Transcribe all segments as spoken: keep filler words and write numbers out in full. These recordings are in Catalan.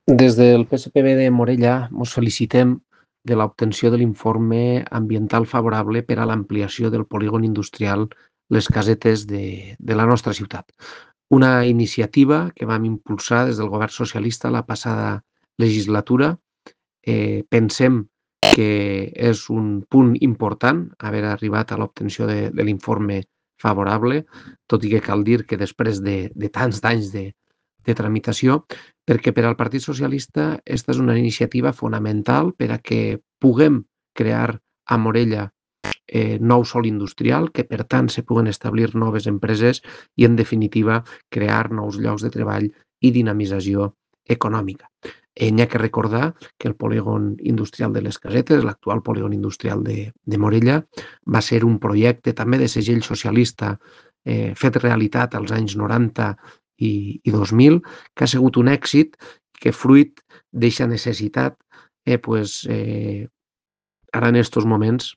Des del P S P B de Morella mos felicitem de l'obtenció de l'informe ambiental favorable per a l'ampliació del polígon industrial Les Casetes de, de la nostra ciutat. Una iniciativa que vam impulsar des del govern socialista la passada legislatura. Eh, pensem que és un punt important haver arribat a l'obtenció de, de l'informe favorable, tot i que cal dir que després de, de tants d'anys de, de tramitació, perquè per al Partit Socialista aquesta és una iniciativa fonamental per a que puguem crear a Morella eh, nou sòl industrial, que per tant se puguen establir noves empreses i, en definitiva, crear nous llocs de treball i dinamització econòmica. Eh, N'hi ha que recordar que el polígon industrial de les Casetes, l'actual polígon industrial de, de Morella, va ser un projecte també de segell socialista eh, fet realitat als anys noranta i, i dos mil, que ha sigut un èxit que, fruit d'eixa necessitat, eh, pues, eh, ara en aquests moments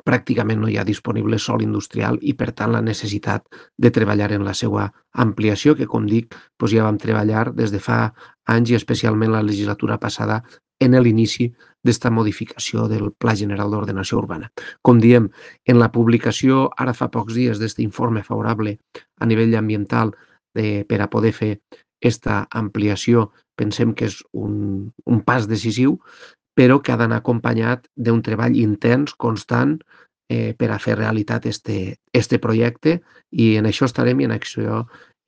pràcticament no hi ha disponible sòl industrial i, per tant, la necessitat de treballar en la seva ampliació, que, com dic, doncs ja vam treballar des de fa anys i especialment la legislatura passada en l'inici d'esta modificació del Pla General d'Ordenació Urbana. Com diem, en la publicació ara fa pocs dies d'aquest informe favorable a nivell ambiental eh, per a poder fer aquesta ampliació, pensem que és un, un pas decisiu, però que ha d'anar acompanyat d'un treball intens, constant, eh, per a fer realitat este, este projecte, i en això estarem i en això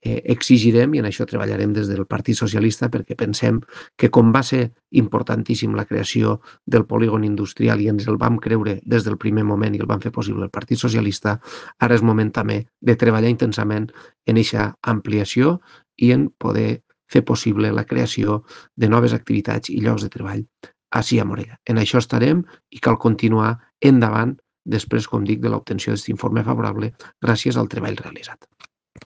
eh, exigirem i en això treballarem des del Partit Socialista, perquè pensem que, com va ser importantíssim la creació del polígon industrial i ens el vam creure des del primer moment i el vam fer possible el Partit Socialista, ara és moment també de treballar intensament en aquesta ampliació i en poder fer possible la creació de noves activitats i llocs de treball ací a Morella. En això estarem i cal continuar endavant després, com dic, de l'obtenció d'aquest informe favorable gràcies al treball realitzat.